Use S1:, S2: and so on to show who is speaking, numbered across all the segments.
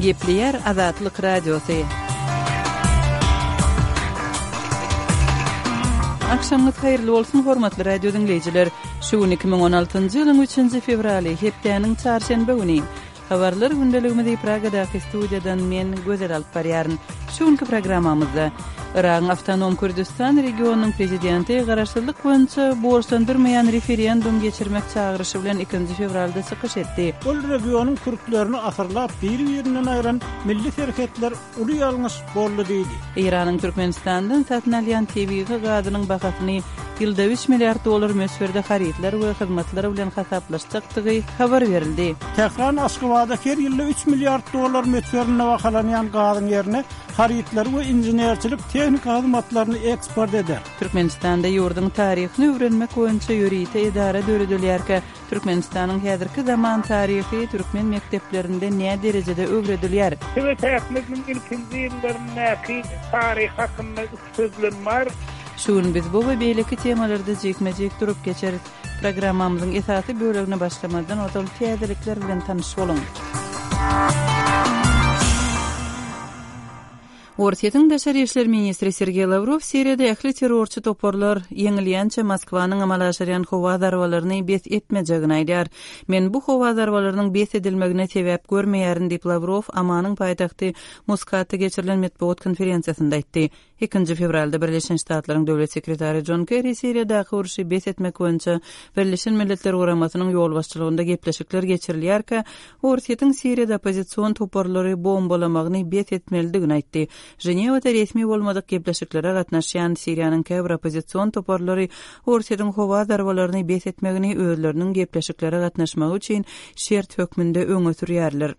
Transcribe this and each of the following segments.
S1: Gepleýär Azatlyk Radiosy. Agşamyňyz haýyrly bolsun, hormatly radio diňleýjiler! Şu gün 2016-njy ýylyň üçünji fewraly, hepdäniň çarşenbe güni. Habarlar gündeligimizi Pragadaky studiýadan men, Gözel alyp barýaryn. Şu günki programmamyzda, Yragyň awtonom Kürdüstan regionynyň prezidenti garaşsyzlyk boýunça borçlandyrmaýan referendum geçirmek çagyryşy bilen ikinji fewralda çykyş etdi.
S2: Ol regionyň kürtlerini asyrlap biri-birinden aýran milli serhetler uly ýalňyş boldy diýdi.
S1: Eýranyň Türkmenistandan satyn alýan tebigy gazynyň bahasyny ýylda üç milliard dollar möçberde harytlar we hyzmatlar bilen hasaplaşjakdygy habar berildi.
S2: Tähran Aşgabada her ýylda üç milliard dollar möçberinde bahalanýan gazyň ýerine harytlary we inženerçilik-tehniki hyzmatlaryny eksport eder.
S1: Türkmenistanda ýurduň taryhyny öwrenmek boýunça ýörite edara döredilýärkä, Türkmenistanyň häzirki zaman taryhy türkmen mekdeplerinde nä derejede öwredilýär?
S3: Sowet häkimiýetiniň ilkinji ýyllaryndaky taryh hakynda üç sözlem bar.
S1: Şu gün biz bu we beýleki temalarda jikme-jik durup geçeris. Programmamyzyň esasy bölegine başlamazdan ozal täzelikler bilen tanyş boluň. Orsýetiň daşary işler ministri Sergeý Lawrow Siriýada ähli terrorçy toparlar ýeňilýänçä Moskwanyň amala aşyrýan howa zarbalaryny bes etmejegini aýdýar. Men bu howa zarbalarynyň bes edilmegine sebäp görmeýärin diýip, Lawrow Omanyň paýtagty Muskatda geçirilen metbugat konferensiýasynda aýtdy. Ikinji fewralda Birleşen Ştatlaryň Döwlet sekretary Jon Kerri Siriýadaky urşy bes etmek boýunça Birleşen Milletler Guramasynyň ýolbaşçylygynda gepleşikler geçirilýärkä, Orsýetiň Siriýada oppozision toparlary bombalamagyny bes etmelidigini aýtdy. Ženewada resmi bolmadyk gepleşiklere gatnaşýan Siriýanyň käbir oppozision toparlary Orsýetiň howa zarbalaryny bes etmegini özleriniň gepleşiklere gatnaşmagy üçin şert hökmünde öňe sürýärler.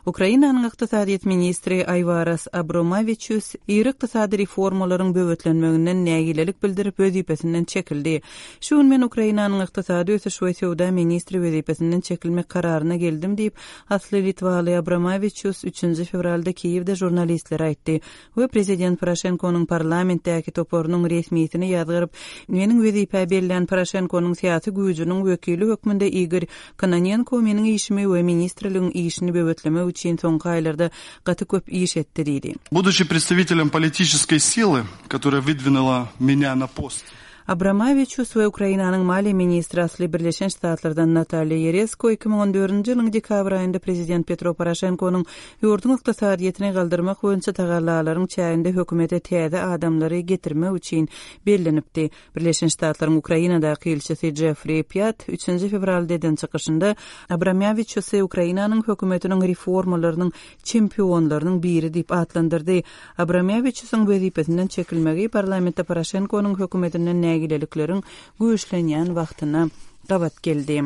S1: Ukrainanyň ykdysadyýet ministri Aýwaras Abromawiçus iri ykdysady reformalaryň böwetlenmeginden nägilelik bildirip, wezipesinden çekildi. Şu gün men Ukrainanyň ykdysady ösüş we söwda ministri wezipesinden çekilmek kararyna geldim diýip, asly litwaly Abromawiçus üçünji fewralda Kiýewde žurnalistlere aýtdy. We prezident Poroşenkonyň parlamentdäki toparynyň resmisini ýazgaryp, meniň wezipä bellän Poroşenkonyň syýasy güýjüniň wekili hökmünde Igor Kononenko meniň işimi we ministrligiň işini böwetlemek üçin soňky aýlarda gaty köp iş etdi diýdi.
S4: Buduçi predstavitelem politiçeskoý sily, kotoraýa wydwinula menýa na post.
S1: Abramawiçus we Ukrainanyň maliýe ministri asly Birleşen Ştatlardan Natalýa Ýeresko 2014-nji ýylyň dekabr aýynda prezident Petro Poroşenkonyň ýurduň ykdysadyýetini galdyrmak boýunça tagallalaryň çäginde hökümete täze adamlary getirmek üçin bellenipdi. Birleşen Ştatlaryň Ukrainadaky ilçisi Jeffri Pýat üçünji fewralda eden çykyşynda Abramawiçusy Ukrainanyň hökümetiniň reformalarynyň çempionlarynyň biri diýip atlandyrdy. Abramýawiçusyň wezipesinden çekilmegi parlamentde Poroşenkonyň hökümetinden nägilelikleriň güýçlenýän wagtyna gabat geldi.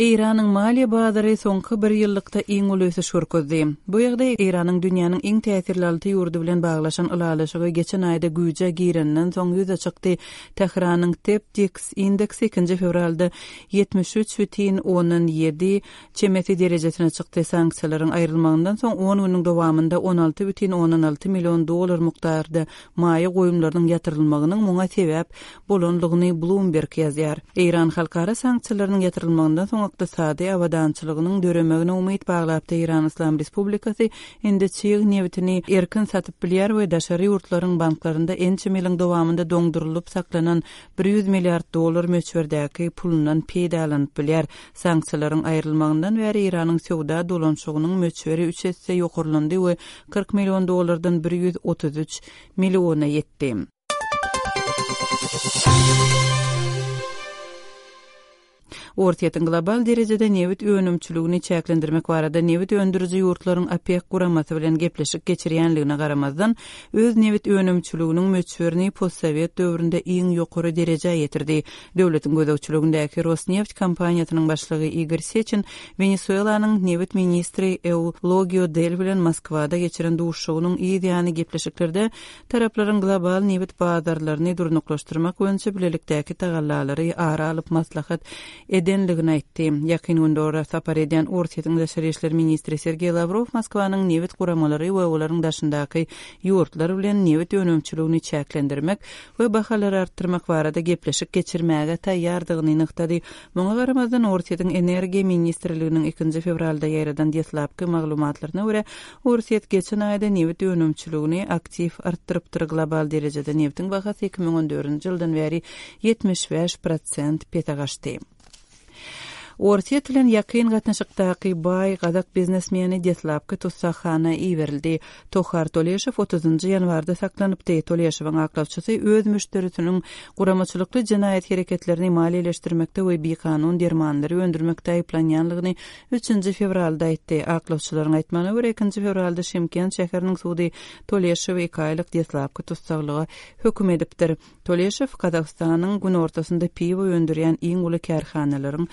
S1: Eýranyň maliýe bazary soňky bir ýyllykda iň uly ösüş görkezdi. Bu ýagdaý Eýranyň dünýäniň iň täsirli alty ýurdy bilen baglaşan ylalaşygy geçen aýda güýje gireninden soň ýüze çykdy. Tähranyň TEPDIX indeksi ikinji fewralda 73,7 çemesi derejesine çykdy. Sanksiýalaryň aýrylmagyndan soň on günüň dowamynda 16,6 million dollar mukdarda maýa goýumlarynyň ýatyrylmagynyň muňa sebäp bolandygyny Bloomberg ýazýar. Eýran halkara sanksiýalarynyň ýatyrylmagyndan soň ykdysady abadançylygynyň döremegine umyt baglapdy. Eýran Yslam Respublikasy indi çig nebitini erkin satyp bilýär we daşary ýurtlaryň banklarynda ençeme ýylyň dowamynda doňdurylyp saklanan 100 milliard dollar möçberdäki pulundan peýdalanyp bilýär. Sanksiýalaryň aýrylmagyndan bäri Eýranyň söwda dolanyşygynyň möçberi üç esse ýokarlandy we 40 million dollardan 133 milliona ýetdi. Orsýetiň global derejede nebit önümçiligini çäklendirmek barada nebit öndüriji ýurtlaryň OPEK guramasy bilen gepleşik geçirýänligine garamazdan, öz nebit önümçiliginiň möçberini postsowet döwründe iň ýokary derejä ýetirdi. Döwletiň gözegçiligindäki Rosneft kompaniýasynyň başlygy Igor Seçin Wenesuelanyň nebit ministri Eulogio Del bilen Moskwada geçiren duşuşygynyň yz ýany gepleşiklerde taraplaryň global nebit bazarlaryny durnuklaşdyrmak boýunça bilelikdäki tagallalary ara alyp maslahat eden. edenligini aýtdy. Ýakyn Gündogara sapar edýän Orsýetiň daşary işler ministri Sergeý Lawrow Moskwanyň nebit guramalary we olaryň daşyndaky ýurtlar bilen nebit önümçiligini çäklendirmek we bahalary artdyrmak barada gepleşik geçirmäge taýýardygyny nygtady. Muňa garamazdan, Orsýetiň Energiýa ministrliginiň ikinji fewralda ýaýradan deslapky maglumatlaryna görä, Orsýet geçen aýda nebit önümçiligini aktiw artdyrypdyr, global derejede nebitiň bahasy 2014-nji ýyldan bäri 75 prosent pese gaçdy. Orsýet bilen ýakyn gatnaşykdaky baý gazak biznesmeni deslapky tussaghana iberildi. Tohar Toleşow otuzynjy ýanwarda saklanypdy. Toleşowyň aklawçysy öz müşderisiniň guramaçylykly jenaýat hereketlerini maliýeleşdirmekde we bikanun dermanlary öndürmekde aýyplanýanlygyny Üçünji fewralda aýtdy. Aklawçylaryň aýtmagyna görä, ikinji fewralda Şymkent şäheriniň sudy Toleşowy iki aýlyk deslapky tussaglyga höküm edipdir. Toleşow Gazagystanyň günortasynda piwo öndürýän iň uly kärhanalaryň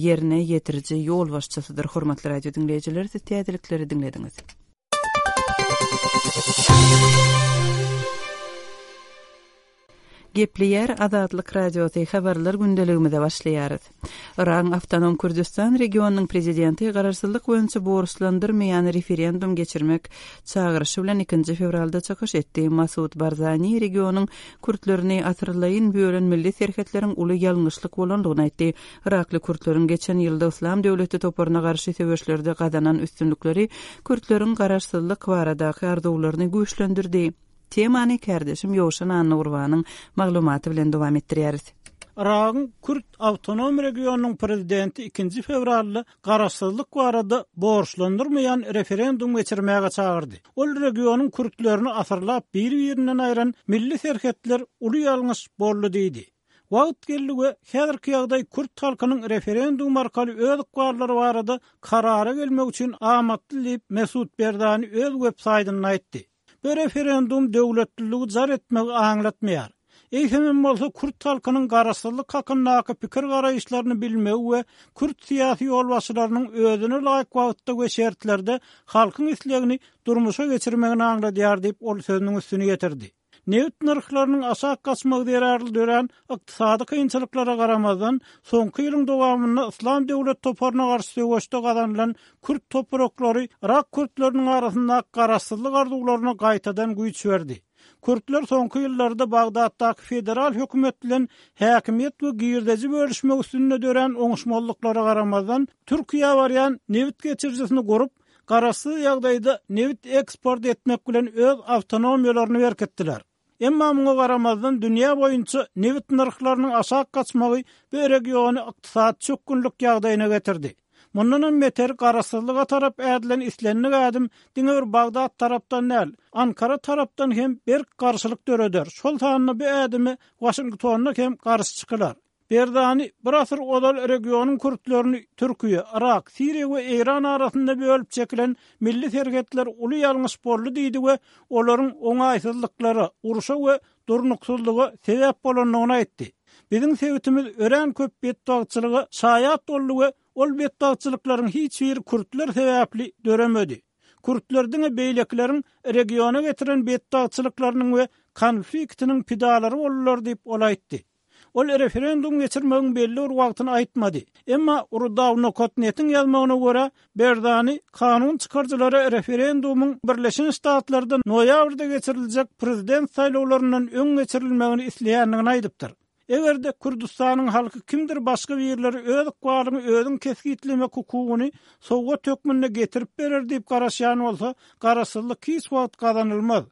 S1: ýerine ýetiriji ýolbaşçysydyr. Hormatly radio diňleýjiler, siz täzelikleri diňlediňiz. Gepleýär Azatlyk Radiosy, Habarlar gündeligimize başlaýarys. Yragyň Awtonom Kürdüstan regionynyň prezidenti garaşsyzlyk boýunça borçlandyrmaýan referendum geçirmek çagyryşy bilen ikinji fewralda çykyş etdi. Masud Barzani regionyň kürtlerini asyrlaýyn bölen milli serhetleriň uly ýalňyşlyk bolandygyny aýtdy. Yrakly kürtleriň geçen ýylda Yslam döwleti toparyna garşy söweşlerde gazanan üstünlikleri kürtleriň garaşsyzlyk baradaky arzuwlaryny güýçlendirdi. Temany kärdeşim Ýowşan Annagurbanyň maglumaty bilen dowam etdirýäris.
S2: Yragyň Kürt awtonom regionynyň prezidenti ikinji fewralda garaşsyzlyk barada borçlandyrmaýan referendum geçirmäge çagyrdy. Ol regionyň kürtlerini asyrlap bir-birinden aýran milli serhetler uly ýalňyş boldy diýdi. Wagt geldi we häzirki ýagdaý kürt halkynyň referendum arkaly öz ykballary barada karara gelmegi üçin amatly diýip, Mesut Berzani öz websaýtynda aýtdy. Bu referendum döwletliligi jar etmegi aňlatmaýar. Eýsemem bolsa kürt halkynyň garaşsyzlyk hakyndaky pikir-garaýyşlaryny bilmegi we kürt syýasy ýolbaşçylarynyň özüne laýyk wagtda we şertlerde halkyň islegini durmuşa geçirmegini aňladýar diýip, ol sözüniň üstüni ýetirdi. Nebit nyrhlarynyň aşak gaçmagy zerarly dörän ykdysady kynçylyklara garamazdan, soňky ýylyň dowamynda Yslam döwlet toparyna garşy söweşde gazanylan kürt topraklary yrak kürtleriniň arasyndaky garaşsyzlyk arzuwlaryna gaýtadan güýç berdi. Kürtler soňky ýyllarda Bagdatdaky federal hökümet bilen häkimiýet we girdeji bölüşmek üstünde dörän oňuşmazlyklara garamazdan, Türkiýä barýan nebit geçirijisini gurup, garaşsyz ýagdaýda nebit eksport etmek bilen öz awtonomiýalaryny berkitdiler. Emma muňa garamazdan dünýä boýunça nebit nyrhlarynyň aşak gaçmagy bu regiony ykdysady çökgünlik ýagdaýyna getirdi. Mundanam beter garaşsyzlyga tarap ädilen islendik ädim diňe bir Bagdat tarapdan däl, Ankara tarapdan hem berk garşylyk döreder, şol sanda bu ädime Waşingtonda hem garşy çykylar. Berzani bir asyr ozal regionyň kürtlerini Türkiýe, Yrak, Siriýa we Eýran arasynda bölüp çekilen milli serhetler uly ýalňyş boldy diýdi we olaryň oňaýsyzlyklara, urşa we durnuksyzlyga sebäp bolandygyny aýtdy. Biziň sebitimiz örän köp betbagtçylyga şaýat boldy we ol betbagtçylyklaryň hiç biri kürtler sebäpli döremedi. Kürtler diňe beýlekileriň regiona getiren betbagtçylyklarynyň we konfliktiniň pidalary boldular diýip, ol aýtdy. Ol referendum geçirmegiň belli bir wagtyny aýtmady. Emma Rudaw nokat netiň ýazmagyna görä, Berzani kanun çykaryjylara referendumyň Birleşen Ştatlarda noýabrda geçiriljek prezident saýlawlaryndan öň geçirilmegini isleýändigini aýdypdyr. Eger-de Kürdüstanyň halky kimdir başga birleri öz ykbalyňy özüň kesgitlemek hukugyny sowgat hökmünde getirip berer diýip garaşýan bolsa, garaşsyzlyk hiç wagt gazanylmaz.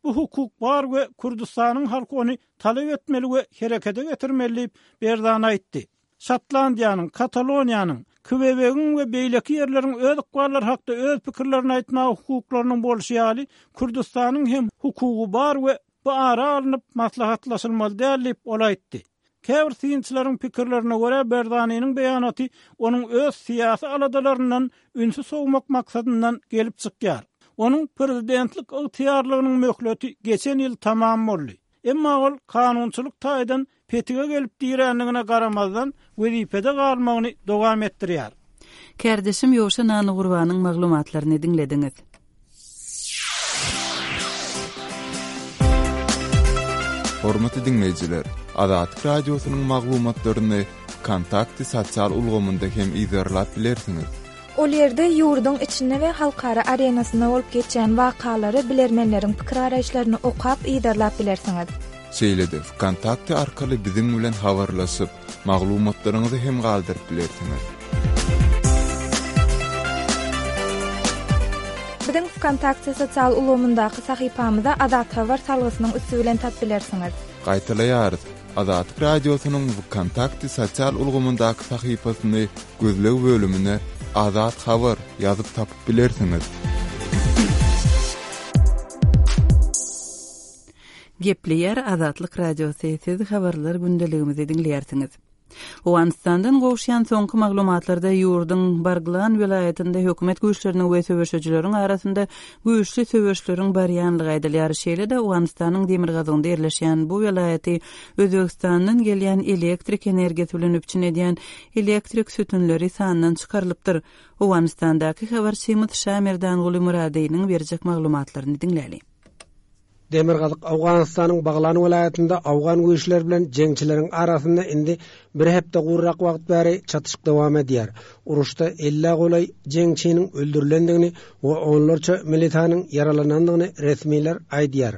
S2: Bu hukuk bar we Kürdüstanyň halky ony talap etmeli we herekete getirmeli diýip, Berzani aýtdy. Şotlandiýanyň, Kataloniýanyň, Kwebegiň we beýleki ýerleriň öz ykballary hakda öz pikirlerini aýtmaga hukuklarynyň bolşy ýaly, Kürdüstanyň hem hukugy bar we bu ara alnyp maslahatlaşylmaly däl diýip, ol aýtdy. Käbir synçylaryň pikirlerine görä, Berzaniniň beýanaty onuň öz syýasy aladalaryndan ünsi sowmak maksadyndan gelip çykýar. Onuň prezidentlik ygtyýarlygynyň möhleti geçen ýyl tamam boldy. Emma ol kanunçylyk taýdan petige gelip dirändigine garamazdan, wezipede galmagyny dowam etdirýär.
S1: Kärdeşim Ýowşan Annagurbanyň maglumatlaryny diňlediňiz.
S5: Hormatly diňleýjiler, Azatlyk Radiosynyň maglumatlaryny. Wkontakte sosial ulgamynda hem yzarlap bilersiňiz.
S6: Ol ýerde ýurduň içinde we halkara arenasynda bolup geçýän wakalary, bilermenleriň pikir-garaýyşlaryny okap, yzarlap bilersiňiz.
S5: Şeýle-de Wkontakte arkaly biziň bilen habarlaşyp, maglumatlaryňyzy hem galdyryp bilersiňiz.
S6: Biziň Wkontakte sosial ulgamyndaky sahypamyza Azathabar salgysynyň üsti bilen tap bilersiňiz.
S5: Gaýtalaýarys, Azatlyk Radiosynyň Wkontakte sosial ulgamyndaky sahypasyny gözleg bölümine Azat Habar ýazyp tapyp bilersiňiz.
S1: Gepleýär Azatlyk Radiosy, siz habarlar gündeligimizi diňleýärsiňiz. Owganystandan gowuşýan soňky maglumatlarda ýurduň Barglan welaýatynda hökümet güýçleriniň we söweşijileriň arasynda güýçli söweşleriň barýanlygy aýdylýar. Şeýle-de Owganystanyň demirgazygynda ýerleşýän bu welaýaty Özbegistandan gelýän elektrik energiýasy bilen üpjün edýän elektrik sütünleri sandan çykarylypdyr. Owganystandaky habarçymyz Şamerdanguly Myradynyň berjek maglumatlaryny diňläli.
S7: Demirgazyk Owganystanyň Baglan welaýatynda owgan güýçleri bilen jeňçileriň arasynda indi bir hepde gurrak wagt bäri çatyşyk dowam edýär. Uruşda ellä golaý jeňçiniň öldürilendigini we onlarça militanyň ýaralanandygyny resmiler aýdýar.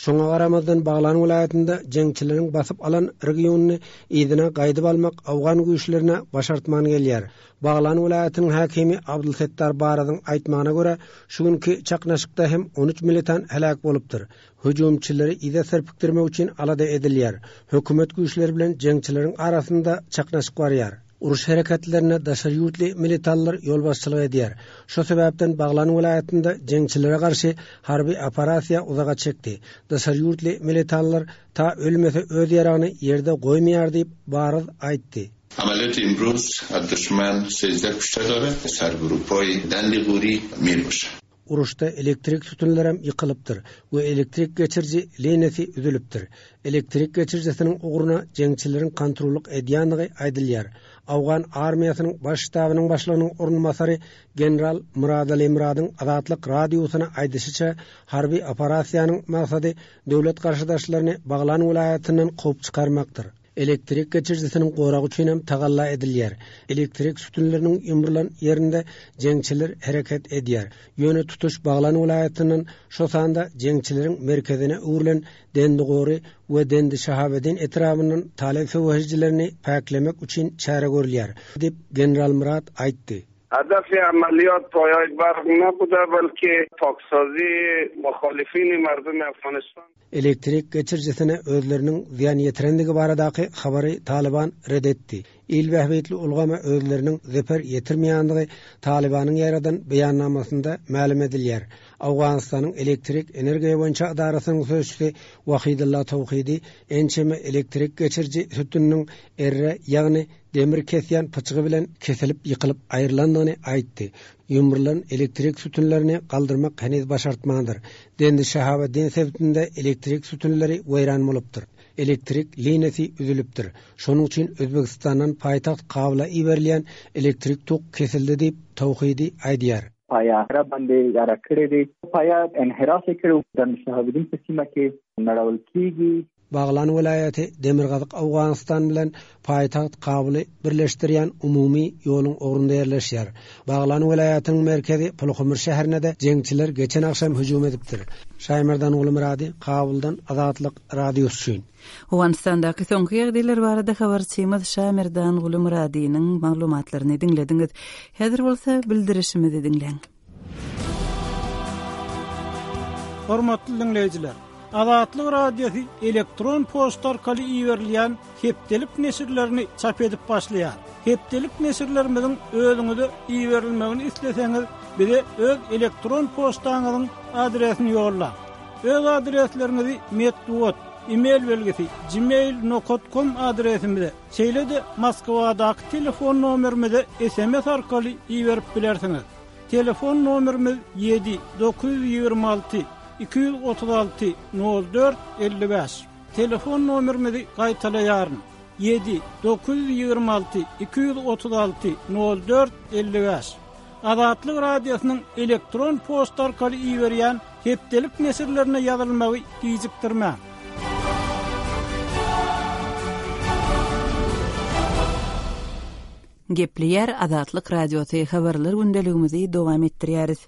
S7: Şoňa garamazdan Baglan welaýatynda jeňçileriň basyp alan regionyny yzyna gaýdyp almak owgan güýçlerine başartman gelýär. Baglan welaýatynyň häkimi Abdulsetdar Barazyň aýtmagyna görä, şu günki çaknyşykda hem 13 militan heläk bolupdyr. Hüjümçileri yza serpikdirmek üçin alada edilýär. Hökümet güýçleri bilen jeňçileriň arasynda çaknyşyk barýar. Uruş hereketlerine daşary ýurtly militanlar ýolbaşçylyk edýär. Şo sebäpden Baglan welaýatynda jeňçilere garşy harby operasiýa uzaga çekdi. Daşary ýurtly militanlar ta ölmese öz ýaragyny ýerde goýmaýar diýip, Baraz aýtdy.
S8: عملیات امروز از دشمن 13 کشته داره سرگروپای دند غوری می باشه.
S7: Uruşda elektrik sütünlerem ýykylypdyr we elektrik geçiriji liniýasy üzülipdir. Elektrik geçirijisiniň ugruna jeňçileriň kontrollyk edýändigi aýdylýar. Owgan armiýasynyň Baş ştabynyň başlygynyň orunbasary general Myradali Myradyň Azatlyk Radiosyna aýdyşyça, harby operasiýanyň maksady döwlet garşydaşlaryny Baglan welaýatyndan kowup çykarmakdyr. Elektrik geçirijisiniň goragy üçin hem tagalla edilýär. Elektrik sütünleriniň ýumrulan ýerinde jeňçiler hereket edýär. Ýöne tutuş Baglan welaýatyndan, şo sanda jeňçileriň merkezine öwrülen Dendigory we Dendi-Şahabeddin etrabyndan talyp söweşijilerini päklemek üçin çäre görülýär, diýip, general Myrat aýtdy.
S9: هدف عملیات پایای برق نبوده بلکه پاکسازی مخالفین مردم افغانستان
S7: Elektrik geçirijisine özleriniň zyýan ýetirendigi baradaky habary Talyban ret etdi. Il bähbitli ulgama özleriniň zeper ýetirmeýändigi Talybanyň ýaýradan beýannamasynda mälim edilýär. Owganystanyň elektrik energiýa boýunça edarasynyň sözçüsi Wahidulla Towhidi ençeme elektrik geçiriji sütüniniň erre, ýagny demir kesýän pyçgy bilen kesilip ýykylyp aýrylandygyny aýtdy. Ýumrulan elektrik sütünlerini galdyrmak heniz başartmandyr. Dendi Şahabeddin sebitinde elektrik sütünleri weýran bolupdyr. Elektrik liniýasy üzülipdir. Şonuň üçin Özbegistandan paýtagt Kabula iberilýän elektrik tok kesildi diýip, Tawhidi aýdýar.
S10: پایه را باندې اداره کړې دی پایه انحراف کړو د شهاب الدین په سیمه کې نړول کیږي
S7: Baglan welaýaty Demirgazyk Owganystan bilen paýtagt Kabuly birleşdirýän umumy ýoluň ugrunda ýerleşýär. Baglan welaýatynyň merkezi Pulhumur şäherine-de jeňçiler geçen agşam hüjüm edipdir. Şaýmerdan Gulumyrady, Kabuldan Azatlyk Radiosy üçin.
S1: Owganystandaky soňky ýagdaýlar barada habarçymyz Şamerdan Gulumyradynyň maglumatlaryny diňlediňiz. Häzir bolsa bildirişimizi diňläň.
S2: Hormatly diňleýjiler! Azatlyk Radiosy elektron poçta arkaly iberilýän hepdelik neşirlerini çap edip başlaýar. Hepdelik neşirlerimiziň özüňize iberilmegini isleseňiz, bize öz elektron poçtaňyzyň adresini ýollaň. Öz adresleriňizi metbugat, e-mail belgisi, gmail nokat kom adresimize, şeýle-de Moskwadaky telefon nomerimize sms arkaly iberip bilersiňiz. Telefon nomerimiz ýedi 926 236 04 55. Telefon nomerimizi gaýtalaýaryn, ýedi 926 236 04 55. Azatlyk Radiosynyň elektron poçta arkaly iberýän hepdelik neşirlerine ýazylmagy gijikdirmäň.
S1: Gepleýär Azatlyk Radiosy, Habarlar gündeligimizi dowam etdirýäris.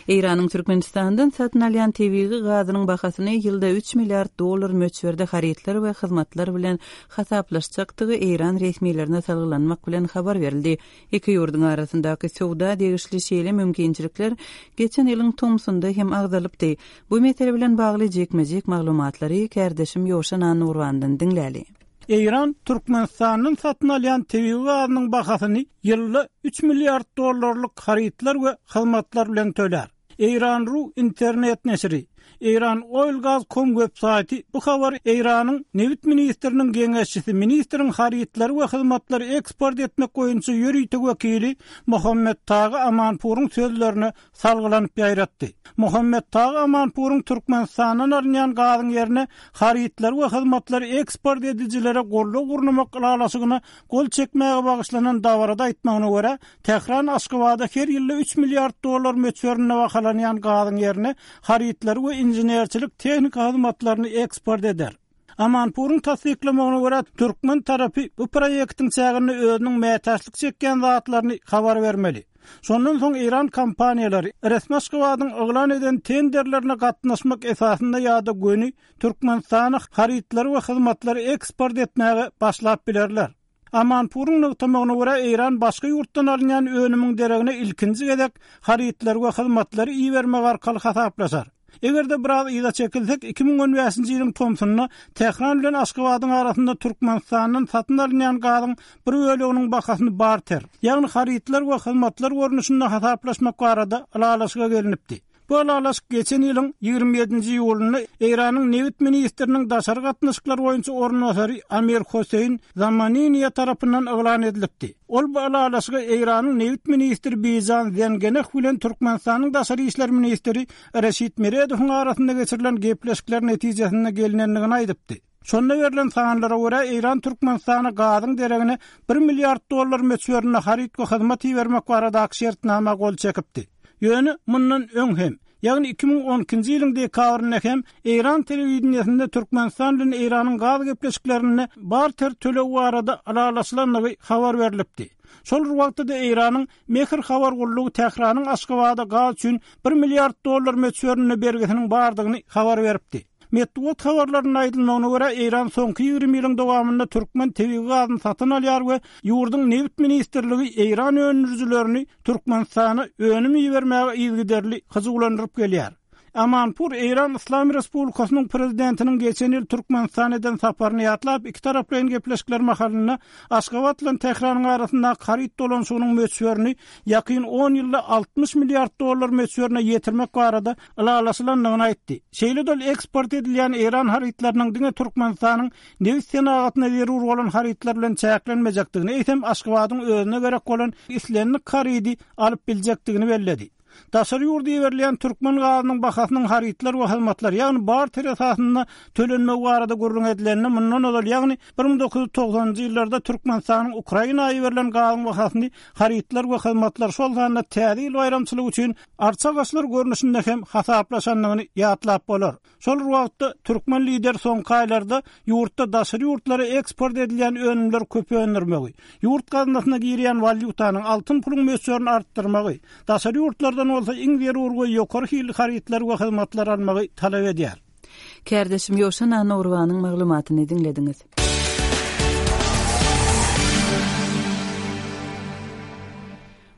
S1: Eýranyň Türkmenistandan satyn alýan tebigy gazynyň bahasyny ýylda üç milliard dollar möçberde harytlar we hyzmatlar bilen hasaplaşjakdygy eýran resmilerine salgylanmak bilen habar berildi. Iki ýurduň arasyndaky söwda degişli şeýle mümkinçilikler geçen ýylyň tomsunda hem agzalypdy. Bu mesele bilen bagly jikme-jik maglumatlary kärdeşim Ýowşan Annagurbandan diňläli.
S2: Eýran Türkmenistandan satyn alýan tebigy gazynyň bahasyny ýylda üç milliard dollarlyk harytlar we hyzmatlar bilen tölär. Eýran ru internet neşiri, Eýran Oil Gaz com web saýty bu habary Eýranyň nebit ministriniň geňeşçisi, ministriň harytlary we hyzmatlary eksport etmek boýunça ýörite wekili Mohammed Tagy Amanpuryň sözlerine salgylanyp ýaýratdy. Muhammet Tagy Amanpuryň Türkmenistandan alynýan gazyň ýerine harytlary we hyzmatlary eksport edijilere goldaw gurnamak ylalaşygyna gol çekmäge bagyşlanan dabarada aýtmagyna görä, Tähran Aşgabada her ýylda üç milliard dollar möçberinde bahalanýan gazyň ýerine harytlary we inženerçilik-tehniki hyzmatlaryny eksport eder. Amanpuryň tassyklamagyna görä, türkmen tarapy bu proýektiň çäginde özüniň mätäçlik çekýän zatlaryny habar bermeli. Şondan soň eýran kompaniýalary resmi Aşgabadyň yglan eden tenderlerine gatnaşmak esasynda ýa-da göni Türkmenistana harytlary we hyzmatlary eksport etmäge başlap bilerler. Amanpuryň nygtamagyna görä, Eýran başga ýurtdan alynýan önümiň deregine ilkinji gezek harytlary we hyzmatlary ibermek arkaly hasaplaşar. Eger-de biraz yza çekilsek, 2015-nji ýylyň tomsunda Tähran bilen Aşgabadyň arasynda Türkmenistandan satyn alynýan gazyň bir böleginiň bahasyny barter, ýagny harytlar we hyzmatlar görnüşinde hasaplaşmak barada ylalaşyga gelnipdi. Bu ylalaşyk geçen ýylyň 27-nji iýulynda Eýranyň nebit ministriniň daşary gatnaşyklar boýunça orunbasary Amir Hosseýn Zamaniniýa tarapyndan yglan edilipdi. Ol bu ylalaşyga Eýranyň nebit ministri Bijan Zengeneh bilen Türkmenistanyň daşary işler ministri Reşit Meredowyň arasynda geçirilen gepleşikler netijesinde gelnendigini aýdypdy. Şonda berlen sanlara görä, Eýran Türkmenistana gazyň deregine bir milliard dollar möçberinde haryt we hyzmat ibermek baradaky şertnama gol çekipdi. Ýöne mundan öň hem, ýagny 2012-nji ýylyň dekabrynda hem Eýran telewideniýesinde Türkmenistan bilen Eýranyň gaz gepleşiklerinde barter tölegi barada ylalaşylandygy habar berlipdi. Şol bir wagtda-da Eýranyň Mehr habar gullugy Tähranyň Aşgabada gaz üçin bir milliard dollar möçberinde bergisiniň bardygyny habar beripdi. Metbugat habarlarynda aýdylmagyna görä, Eýran soňky 20 ýylyň dowamynda türkmen tebigy gazyny satyn alýar we ýurduň Nebit ministrligi eýran öndürijilerini Türkmenistana önüm ibermäge yzygiderli hyjuwlandyryp gelýär. Amanpur Eýran Yslam Respublikasynyň Prezidentiniň geçen ýyl Türkmenistana eden saparyny ýatlap, ikitaraplaýyn gepleşikler mahalynda Aşgabat bilen Tähranyň arasyndaky haryt dolanyşygynyň möçberini ýakyn on ýylda 60 milliard dollar möçberine ýetirmek barada ylalaşylandygyny aýtdy. Şeýle-de ol eksport edilýän eýran harytlarynyň diňe Türkmenistanyň nebit senagatyna zerur bolan harytlar bilen çäklenmejekdigini, eýsem Aşgabadyň özüne gerek bolan islendik harydy alyp biljekdigini belledi. Daşary ýurda iberilýän türkmen gazynyň bahasynyň harytlar we hyzmatlar, ýagny barter esasynda tölenmegi barada gürrüň edilende, mundan ozal, ýagny 1990-njy ýyllarda Türkmenistanyň Ukraina iberilen gazyň bahasyny harytlar we hyzmatlar, şol sanda Täze ýyl baýramçylygy üçin arça agaçlar görnüşinde hem hasaplaşandygyny ýatlap bolar. Şol bir wagtda, türkmen lideri soňky aýlarda ýurtda daşary ýurtlara eksport edilýän önümleri köp öndürmegi, ýurt gaznasyna girýän walýutanyň, altyn puluň möçberini artdyrmagy, daşary ýurtlardan bolsa iň zerur we ýokary hilli harytlary we hyzmatlary almagy talap edýär.
S1: Kärdeşim Ýowşan Annagurbanyň maglumatyny diňlediňiz.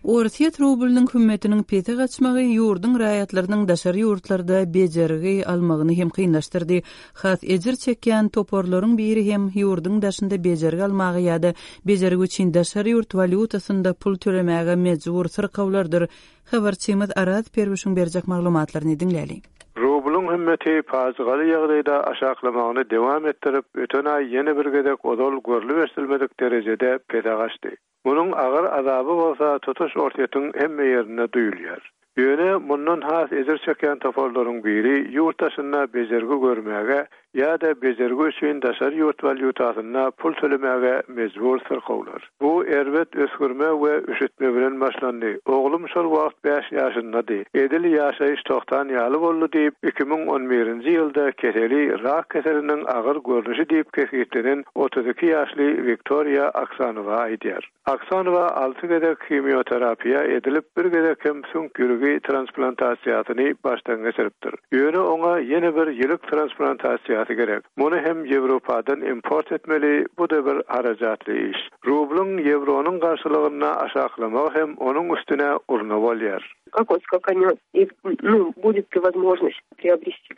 S1: Orsýet rublynyň hümmetiniň pese gaçmagy ýurduň raýatlarynyň daşary ýurtlarda bejergi almagyny hem kynlaşdyrdy. Has ejir çekýän toparlaryň biri hem ýurduň daşynda bejergi almaga ýa-da bejergi üçin daşary ýurt walýutasynda pul tölemäge mejbur syrkawlardyr. Habarçymyz Araz Perwişiň berjek maglumatlaryny diňläliň.
S11: Rublyň hümmeti pajygaly ýagdaýda aşaklamagyny dowam etdirip, öten aý ýene bir gezek ozal görlüp-eşidilmedik derejede pese gaçdy. Munuň agyr azaby bolsa tutuş Orsýetiň hemme ýerinde duýulýar. Ýöne mundan has ejir çekýän toparlaryň biri ýurt daşynda bejergi görmäge. ýa-da bejergi üçin daşary ýurt walýutasynda pul tölemäge mejbur syrkawlar. Bu erbet üsgürme we üşütme bilen başlandy. Oglum şol wagt bäş ýaşyndady. Edil ýaşaýyş togtan ýaly boldy diýip, 2011-nji ýylda keseli rak keseliniň agyr görnüşi diýip kesgitlenen 32 ýaşly Wiktoriýa Aksanowa aýdýar. Aksanowa alty gezek himioterapiýa edilip, bir gezek hem süňk ýülügi transplantasiýasyny başdan geçiripdir. Ýöne oňa ýene bir ýülük transplantasiýasy gerek. Muny hem Ýewropadan import etmeli, bu-da bir harajatly iş. Rublyň ýewronyň garşylygynda aşaklamagy hem onuň üstüne urna bolýar.
S12: Kakoý skakanýot i nu budet li wozmožnost priobresти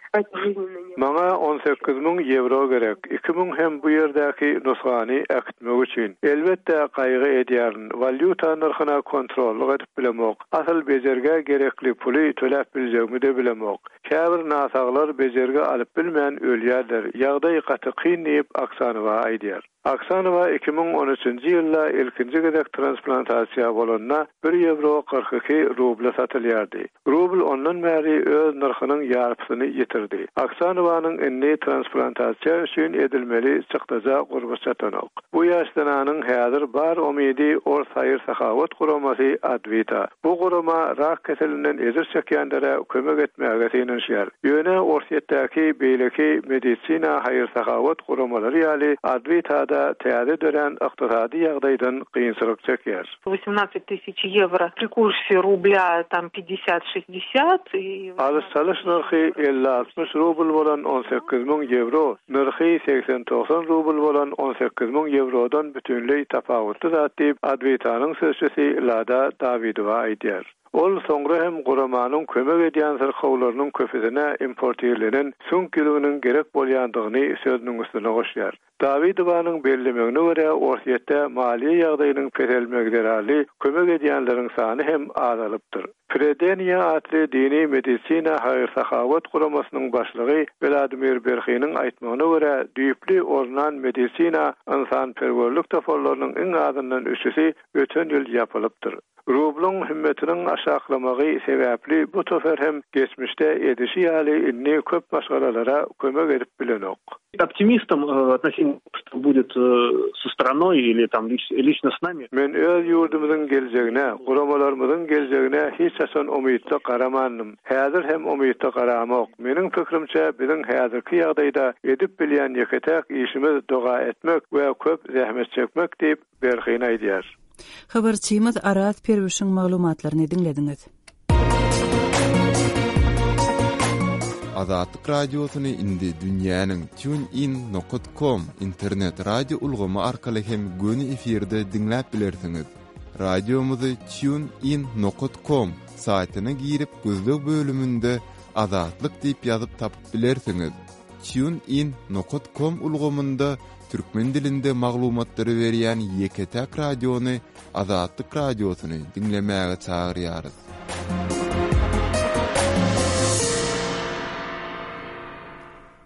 S11: Maňa 18 müň ýewro gerek, 2000 hem bu ýerdäki nusgany äkitmek üçin. Elbetde, gaýgy edýärin, walýuta nyrhyna kontrollyk edip bilemok, asyl bejergä gerekli puly töläp biljegimi-de bilemok. Käbir násaglar bejergi alyp bilmän ölýärler, ýagdaý gaty kyn diýip, Aksanowa aýdýar. Aksanowa 2013-nji ýylda ilkinji gezek transplantasiýa bolanda bir ýewro 42 rubla satylýardy. Rubl ondan bäri öz nyrhynyň ýarpysyny ýitirdi. Aksanowanyň indi transplantasiýa üçin edilmeli çykdaja gurby çatanok. Bu ýaş zenanyň häzir bar umydy ors haýyr-sahawat guramasy Adwita. Bu gurama rak keselinden ejir çekýänlere kömek etmäge synanyşýar. Ýöne Orsýetdäki beýleki medisina haýyr-sahawat guramalary ýaly Adwita-da täze dörän ykdysady ýagdaýdan kynçylyk çekýär.
S12: Wosemnadset tysyç ýewro pri kurse rublýa tam pýatdesýat şestdesýat i.
S11: Alyş-çalyş nyrhy elli-altmyş rubl bolan 18 müň ýewro, nyrhy segsen-togsan rubl bolan 18 müň ýewrodan bütinleý tapawutly zat diýip, Adwitanyň sözçüsi Lada Dawidowa aýdýar. Ol soňra hem guramanyň kömek edýän syrkawlarynyň köpüsine importirlenen süňk ýüliginiň gerek bolýandygyny sözüniň üstüne goşýar. Dawidowanyň bellemegine görä, Orsýetde maliýe ýagdaýynyň peselmegi zerarly kömek edýänleriň sany hem azalypdyr. Fredeniýa atly dini medisina haýyr-sahawat guramasynyň başlygy Wladimir Berhiniň aýtmagyna görä, düýpli ornan medisina ynsanperwerlik toparlarynyň iň azyndan üçüsi öten ýyl ýapylypdyr. Rublyň hümmetiniň aşaklamagy sebäpli bu topar hem geçmişde edişi ýaly indi köp maşgalalara kömek edip bilenok.
S13: Optimistom относительно что будет со страной или tam liçno s nami.
S11: Men öz ýurdumyzyň geljegine, guramalarymyzyň geljegine hiç haçan umytly garamandym. Häzir hem umytly garamok. Meniň pikirimçe, biziň häzirki ýagdaýda edip bilýän ýeke-täk işimiz doga etmek we köp zähmet çekmek diýip, Berhin aýdýar.
S1: Habarçymyz Araz Perwişiň maglumatlaryny diňlediňiz.
S5: Azatlyk Radiosyny indi dünýäniň TuneIn nokat com internet radio ulgamy arkaly hem göni efirde diňläp bilersiňiz. Radiomyzy TuneIn nokat com saýtyna girip gözleg bölüminde Azatlyk diýip ýazyp tapyp bilersiňiz. TuneIn nokat com ulgamynda türkmen dilinde maglumatlary berýän ýeke-täk radiony Azatlyk Radiosyny diňlemäge çagyrýarys.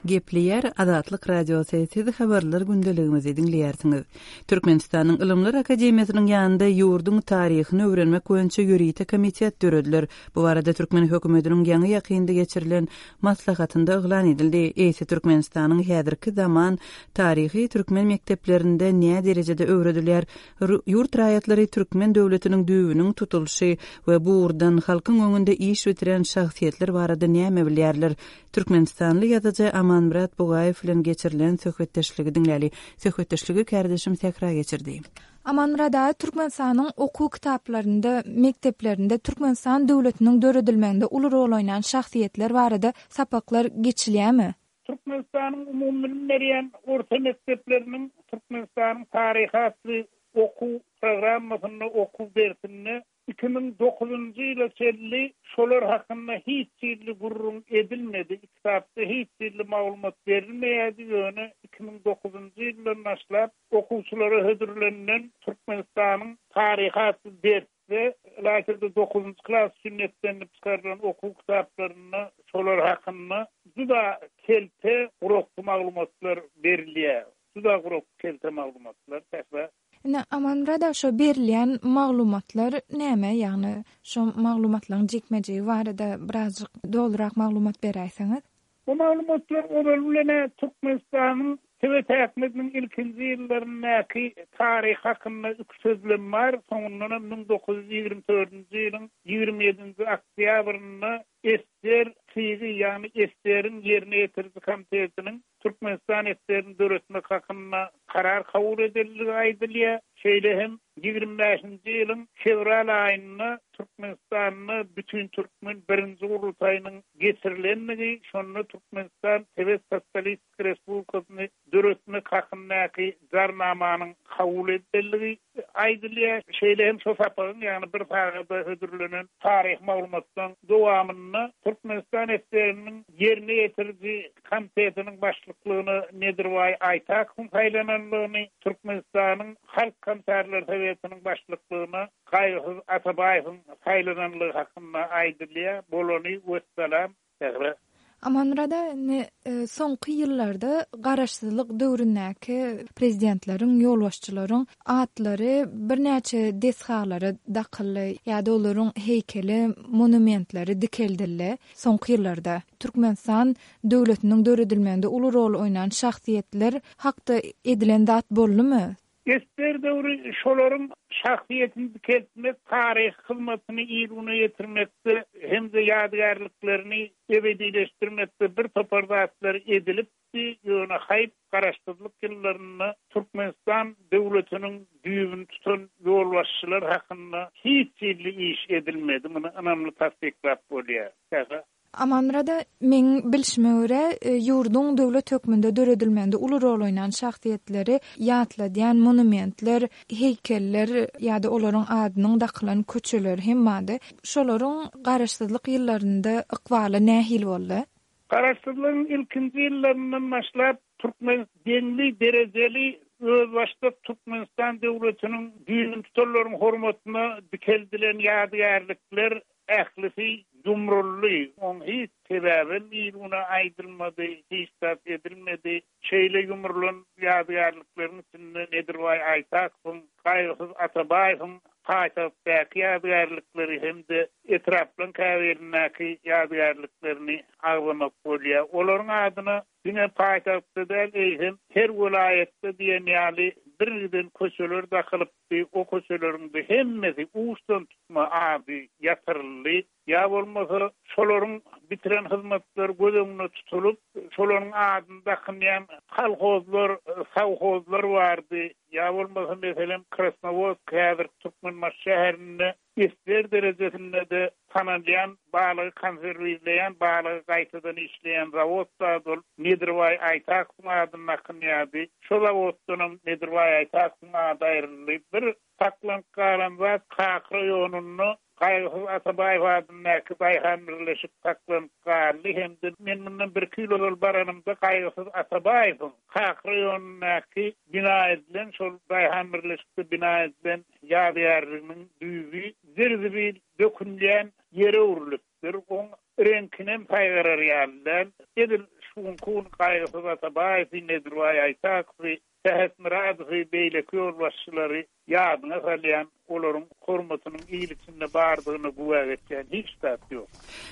S1: Gepleýär Azatlyk Radiosy, siz habarlar gündeligimizi diňleýärsiňiz. Türkmenistanyň Ylymlar akademiýasynyň ýanynda ýurduň taryhyny öwrenmek boýunça ýörite komitet dörediler. Bu barada türkmen hökümetiniň ýaňy-ýakynda geçirilen maslahatynda yglan edildi. Eýse Türkmenistanyň häzirki zaman taryhy türkmen mekdeplerinde nä derejede öwredilýär? Ýurt raýatlary türkmen döwletiniň düýbüniň tutulyşy we bu ugurdan halkyň öňünde iş bitiren şahsyýetler barada näme bilýärler? Türkmenistanly ýazyjy Amanmyrat Bugaýew bilen geçirilen söhbetdeşligi diňläli. Söhbetdeşligi kärdeşim Sähra geçirdi.
S6: Amanmyrat aga, Türkmenistanyň okuw kitaplarynda, mekdeplerinde Türkmenistan döwletiniň döredilmeginde uly rol oýnan şahsyýetler barada sapaklar geçilýärmi?
S3: Türkmenistanyň umumybilim berýän orta mekdepleriniň Türkmenistanyň taryhy atly okuw programmasynda, okuw dersinde 2009-njy ýyla çenli şolar hakynda hiç hili gürrüň edilmedi, kitapda hiç hili maglumat berilmeýärdi, ýöne 2009-njy ýyldan başlap okuwçylara hödürlenilen Türkmenistanyň taryhy atly dersde, ylaýta-da dokuzynjy klas üçin niýetlenilip çykarylan okuw kitaplarynda şolar hakynda juda kelte, guraksy maglumatlar berilýär. Juda gurak, kelte maglumatlar, Sähra.
S6: Indi Amanmyrat aga şo berilýän maglumatlar näme ýagny şo maglumatlaryň jikme-jigi barada birazjyk dolurak maglumat beräýseňiz.
S3: Bu maglumatlar ozaly bilen-ä Türkmenistanyň Sowet häkimiýetiniň ilkinji ýyllaryndaky taryhy hakynda iki sözlem bar, soňundanam 1924-nji ýylyň 27-nji oktýabrynda SSR TIG-i, ýagny SSR-iň Ýerine ýetiriji komitetiniň Türkmenistan SSR-ini döretmek hakynda karar kabul edildigi aýdylýar. Şeýle hem 25-nji ýylyň fewral aýynda Türkmenistanda Bütintürkmen birinji gurultaýynyň geçirilendigi, şonda Türkmenistan Sowet Sosialistik Respublikasyny döretmek hakyndaky Jarnamanyň kabul edilendigi aýdylýar. Şeýle hem şo sapagyň, ýagny bir sagada hödürlenen taryhy maglumatlaryň dowamynda Türkmenistan SSR-niň Ýerine ýetiriji komitetiniň başlyklygyna Nedirbaý Aýtakowyň saýlanandygyny, Türkmenistanyň Halk Komissarlar Sowetiniň başlyklygyna Gaýgysyz Atabaýewiň saýlanandygy hakynda aýdylýar. Bolany wessalam. Sähra.
S6: Amanmyrat aga, indi soňky ýyllarda garaşsyzlyk döwründäki prezidentleriň, ýolbaşçylaryň atlary birnäçe desgalara dakyldy ýa-da olaryň heýkeli, monumentleri dikeldildi soňky ýyllarda. Türkmenistan döwletiniň döredilmeginde uly rol oýnan şahsyýetler hakda edilen zat boldumy?
S3: Ester döwri şolaryň şahsyýetini dikeltmek, taryhy hyzmatyny il-güne ýetirmekde hem-de ýadygärliklerini ebedileşdirmekde bir topar zatlar edilipdi, ýöne haýp, garaşsyzlyk ýyllarynda Türkmenistan döwletiniň düýbüni tutan ýolbaşçylar hakynda hiç hili iş edilmedi, muny ynamly tassyklap bolýar. Sähra.
S6: Amanmyrada, meň bilşime görä, ýurduň döwlet hökmünde döredilmeginde uly rol oýnan şahsyýetleri ýatladýan monumentler, heýkeller ýa-da olaryň adynyň dakylan köçeleri hem bardy. Şolaryň garaşsyzlyk ýyllarynda ykbaly nähili boldy?
S3: Garaşsyzlygyň ilkinji ýyllaryndan başlap, türkmen deňli, derejeli, özbaşdak Türkmenistan döwletiniň düýbüni tutanlaryň hormatyna dikeldilen ýadygärlikler Ählisi ýumruldy. Oň hiç sebäbem il-güne aýdylmady, hiç zat edilmedi. Şeýle ýumrulan ýadygärlikleriň içinde Nedirbaý Aýtakowyň, Gaýgysyz Atabaýewiň paýtagtdaky ýadygärlikleri hem-de etraplaryň käbirindäki ýadygärliklerini agzamak bolýar. Olaryň adyna diňe paýtagtda däl, eýsem, her welaýatda diýen ýaly birgiden köçeler dakylyp, O köçeleriň-de hemmesi uçdan-tutma ady ýatyryldy. Ýa bolmasa, şolaryň bitiren hyzmatlary göz öňünde tutulyp, şolaryň adyny dakynýan kolhozlar, sowhozlar bardy. Ýa bolmasa, meselem, Krasnowodsk häzirki Türkmenbaşy şäherinde Esger derejesinde-de tanalýan balygy konserwirleýän, balygy gaýtadan işleýän zawod bar, ol Nedirbaý Aýtakowyň adyny dakynýardy. Şo zawoddanam Nedirbaý Aýtakowyň ady aýryldy. Bir saklanyp galan zat Kak raýonynda Gaýgysyz Atabaýew adyndaky daýhan birleşik saklanyp galdy hem-de men mundan birki ýyl ozal baranymda Gaýgysyz Atabaýewiň Kak raýonyndaky bina edilen, şol daýhan birleşikde bina edilen Ýadygärliginiň düýbi zir-zibil dökünýän ýere öwrülipdir. Oň reňkinem saýgarar ýaly däl. Edil şu günki gün Gaýgysyz Atabaýewi, Nedirbaý Aýtakowy, Sähet Myradowy, beýleki ýolbaşçylary ýadyňa salýan, olaryň hormatynyň il içinde bardygyna güwä geçýän hiç zat ýok.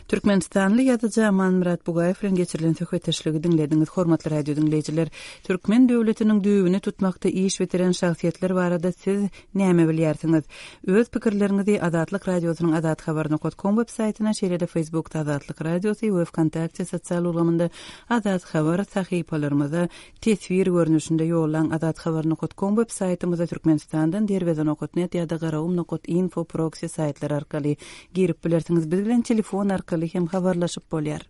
S1: Türkmenistanly ýazyjy Amanmyrat Bugaýew bilen geçirilen söhbetdeşligi diňlediňiz. Hormatly radio diňleýjiler, türkmen döwletiniň düýbüni tutmakda iş bitiren şahsyýetler barada siz näme bilýärsiňiz? Öz pikirleriňizi Azatlyk Radiosynyň azathabar nokat kom web saýtyna, şeýle-de Facebookda Azatlyk Radiosy we Wkontakte sosial ulgamynda Azat Habar sahypalarymyza teswir görnüşinde ýollaň Azathabar nokat kom web saýtymyza Türkmenistandan Derweze nokat net ýa-da Garagum nokat info proksi saýtlary arkaly girip bilersiňiz. Biz bilen telefon arkaly hem habarlaşyp bolýar.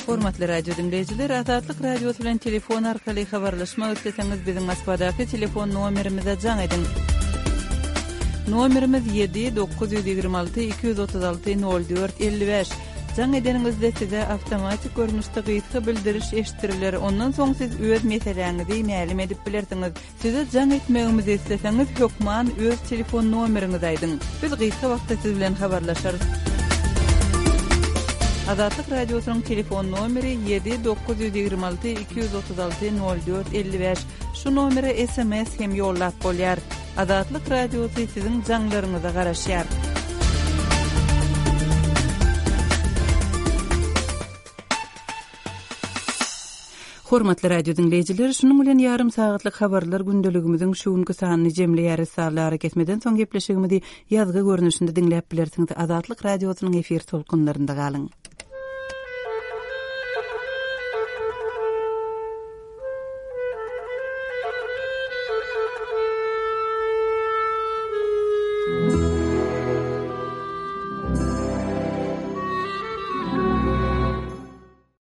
S1: Hormatly radio diňleýjiler, Azatlyk Radiosy bilen telefon arkaly habarlaşmak isleseňiz, biziň Moskwadaky telefon nomerimize jaň ediň. Nomerimiz 7 926 236 04 55. Jaň edeniňizde size awtomatik görnüşde gysga bildiriş eşitdiriler, ondan soň siz öz meseläňizi mälim edip bilersiňiz. Size jaň etmegimizi isleseňiz, hökman öz telefon nomeriňizi aýdyň. Biz gysga wagtda siz bilen habarlaşarys. Azatlyk Radiosynyň telefon nomeri 7 926 236 04 55. Şu nomere sms hem ýollap bolýar. Azatlyk Radiosy siziň jaňlaryňyza garaşýar. Hormatly radio diňleýjiler, şunuň bilen ýarym sagatlyk habarlar gündeligimiziň şu günki sanyny jemleýäris. Sazly arakesmeden soň gepleşigimizi ýazgy görnüşinde diňläp bilersiňiz. Azatlyk Radiosynyň efir tolkunlarynda galyň.